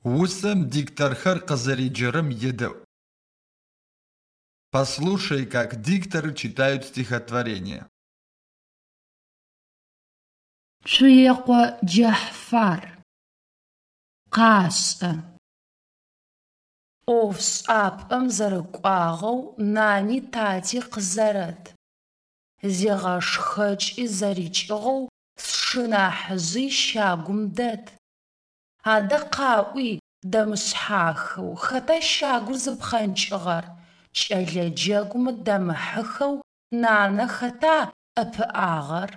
Усэм дикторхэр къызэреджэрэм едэӏу. Послушай, как дикторы читают стихотворение. Цуекъо Джэхьфар. Къашӏэ. Ӏофшӏапӏэм зэрэкӏуагъэу нани тати къызэрэт. Зигъэшхэкӏи зэрикӏыгъэу сшынахьыжъи щагум дэт. Адэ къаӏуи дэмышъхьахэу хэта щагур зыпхъэнкӏыгъэр? Кӏэлэ джэгумэ дамыхьыхэу нанэ хэта ӏэпыӏагъэр?